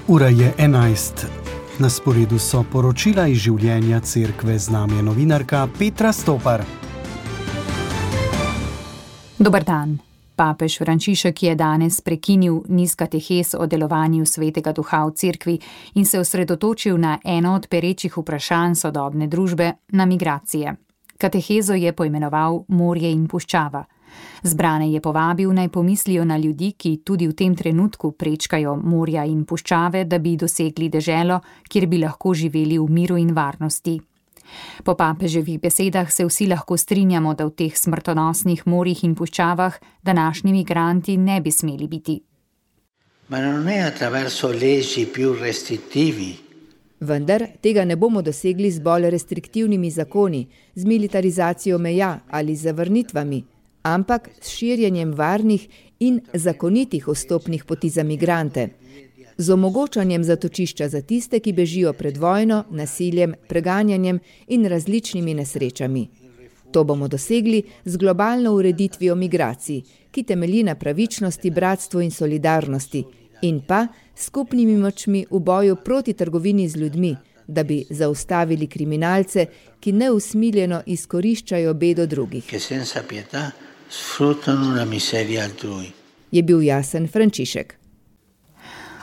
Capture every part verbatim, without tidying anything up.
Ura je enajst. Na sporedu so poročila iz življenja cerkve, z nami je novinarka Petra Stopar. Dober dan. Papež Frančišek je danes prekinil niz katehes o delovanju Svetega Duha v cerkvi in se osredotočil na eno od perečih vprašanj sodobne družbe, na migracije. Katehezo je poimenoval Morje in puščava. Zbrane je povabil, naj pomislijo na ljudi, ki tudi v tem trenutku prečkajo morja in puščave, da bi dosegli deželo, kjer bi lahko živeli v miru in varnosti. Po papeževih besedah se vsi lahko strinjamo, da v teh smrtonosnih morjih in puščavah današnji migranti ne bi smeli biti. Ma non è attraverso leggi più restrittivi. Vendar tega ne bomo dosegli z bolj restriktivnimi zakoni, z militarizacijo meja ali z zavrnitvami, ampak s širjenjem varnih in zakonitih vstopnih poti za migrante, z omogočanjem zatočišča za tiste, ki bežijo pred vojno, nasiljem, preganjanjem in različnimi nesrečami. To bomo dosegli z globalno ureditvijo migracij, ki temelji na pravičnosti, bratstvu in solidarnosti, in pa skupnimi močmi v boju proti trgovini z ljudmi, da bi zaustavili kriminalce, ki neusmiljeno izkoriščajo bedo drugih. Je bil jasen Frančišek.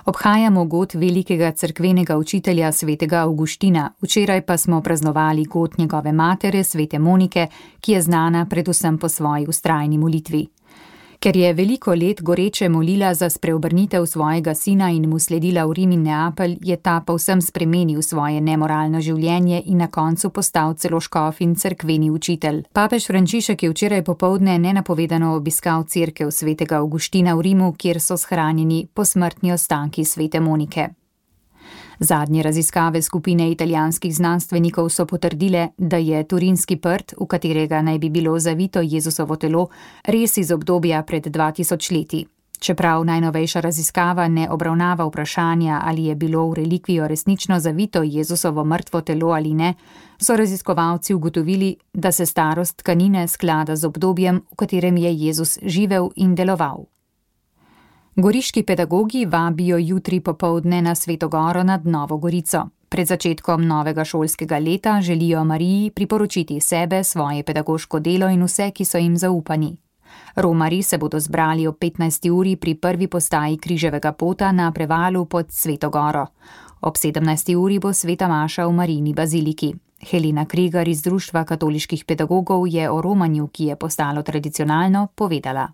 Obhajamo god velikega cerkvenega učitelja svetega Avguština, včeraj pa smo praznovali god njegove matere, svete Monike, ki je znana predvsem po svoji vztrajni molitvi. Ker je veliko let goreče molila za spreobrnitev svojega sina in mu sledila v Rim in Neapelj, je ta povsem spremenil svoje nemoralno življenje in na koncu postal celo škof in cerkveni učitelj. Papež Frančišek je včeraj popoldne nenapovedano obiskal cerkev svetega Avguština v Rimu, kjer so shranjeni posmrtni ostanki svete Monike. Zadnje raziskave skupine italijanskih znanstvenikov so potrdile, da je turinski prt, v katerega naj bi bilo zavito Jezusovo telo, res iz obdobja pred dva tisoč leti. Čeprav najnovejša raziskava ne obravnava vprašanja, ali je bilo v relikvijo resnično zavito Jezusovo mrtvo telo ali ne, so raziskovalci ugotovili, da se starost tkanine sklada z obdobjem, v katerem je Jezus živel in deloval. Goriški pedagogi vabijo jutri popoldne na Sveto Goro nad Novo Gorico. Pred začetkom novega šolskega leta želijo Mariji priporočiti sebe, svoje pedagoško delo in vse, ki so jim zaupani. Romarji se bodo zbrali ob petnajsti uri pri prvi postaji križevega pota na prevalu pod Sveto Goro. Ob sedemnajsti uri bo sveta maša v Marijini baziliki. Helena Kregar iz Društva katoliških pedagogov je o romanju, ki je postalo tradicionalno, povedala.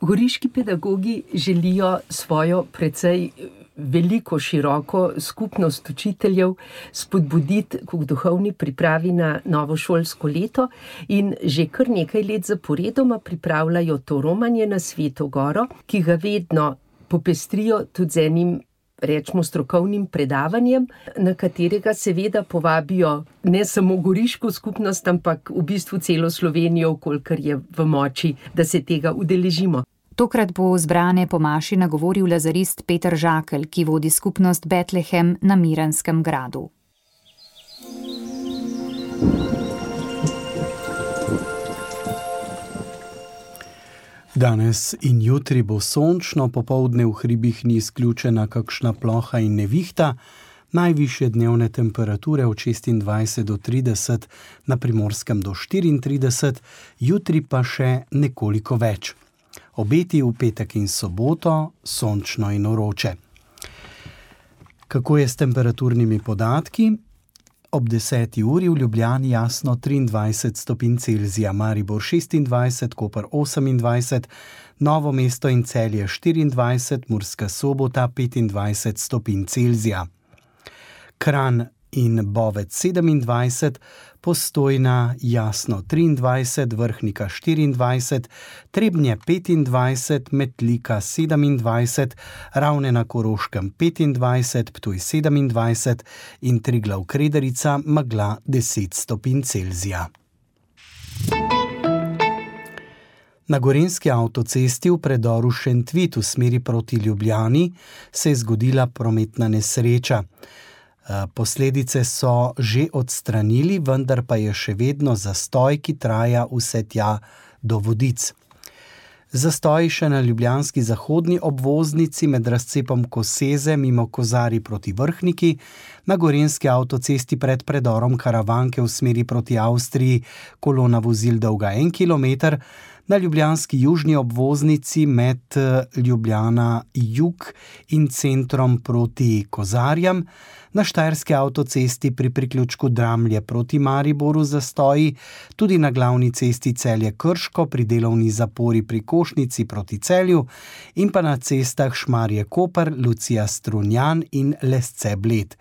Goriški pedagogi želijo svojo precej veliko, široko skupnost učiteljev spodbuditi k duhovni pripravi na novo šolsko leto in že kar nekaj let zaporedoma pripravljajo to romanje na Sveto Goro, ki ga vedno popestrijo tudi z enim, rečemo, strokovnim predavanjem, na katerega seveda povabijo ne samo goriško skupnost, ampak v bistvu celo Slovenijo, kolikor je v moči, da se tega udeležimo. Tokrat bo zbrane po maši nagovoril lazarist Peter Žakelj, ki vodi skupnost Betlehem na Miranskem gradu. Danes in jutri bo sončno, popoldne v hribih ni izključena kakšna ploha in nevihta, najvišje dnevne temperature od šestindvajset do trideset, na Primorskem do štiriintrideset, jutri pa še nekoliko več. Obeti v petek in soboto, sončno in vroče. Kako je s temperaturnimi podatki? Ob deseti uri v Ljubljani jasno triindvajset stopinj Celzija, Maribor šestindvajset, Koper osemindvajset, Novo mesto in Celje štiriindvajset, Murska Sobota petindvajset stopinj Celzija. Kranj in Bovec sedemindvajset, Postojna jasno triindvajset, Vrhnika štiriindvajset, Trebnje petindvajset, Metlika sedemindvajset, Ravne na Koroškem petindvajset, Ptuj sedemindvajset in Triglav Krederica megla deset stopinj Celzija. Na gorenjski avtocesti v predoru Šentvit v smeri proti Ljubljani se je zgodila prometna nesreča. Posledice so že odstranili, vendar pa je še vedno zastoj, ki traja vse tja do Vodic. Zastoji še na ljubljanski zahodni obvoznici med razcepom Koseze mimo Kozarij proti Vrhniki, na gorenjski avtocesti pred predorom Karavanke v smeri proti Avstriji kolona vozil dolga en kilometer, na ljubljanski južni obvoznici med Ljubljana jug in centrom proti Kozarjam, na štajerski avtocesti pri priključku Dramlje proti Mariboru zastoji, tudi na glavni cesti Celje-Krško pri delovni zapori pri Košnici proti Celju in pa na cestah Šmarje-Koper, Lucija-Strunjan in Lesce-Bled.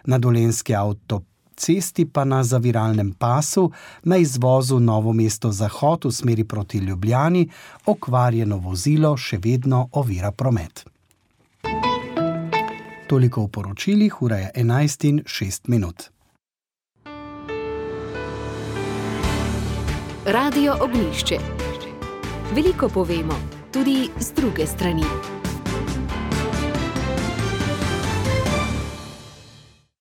Na dolenjski avtocesti pa na zaviralnem pasu na izvozu Novo mesto-Zahod v smeri proti Ljubljani okvarjeno vozilo še vedno ovira promet. Toliko v poročilih, ura je enajst in šest minut. Radio Ognjišče. Veliko povemo, tudi z druge strani.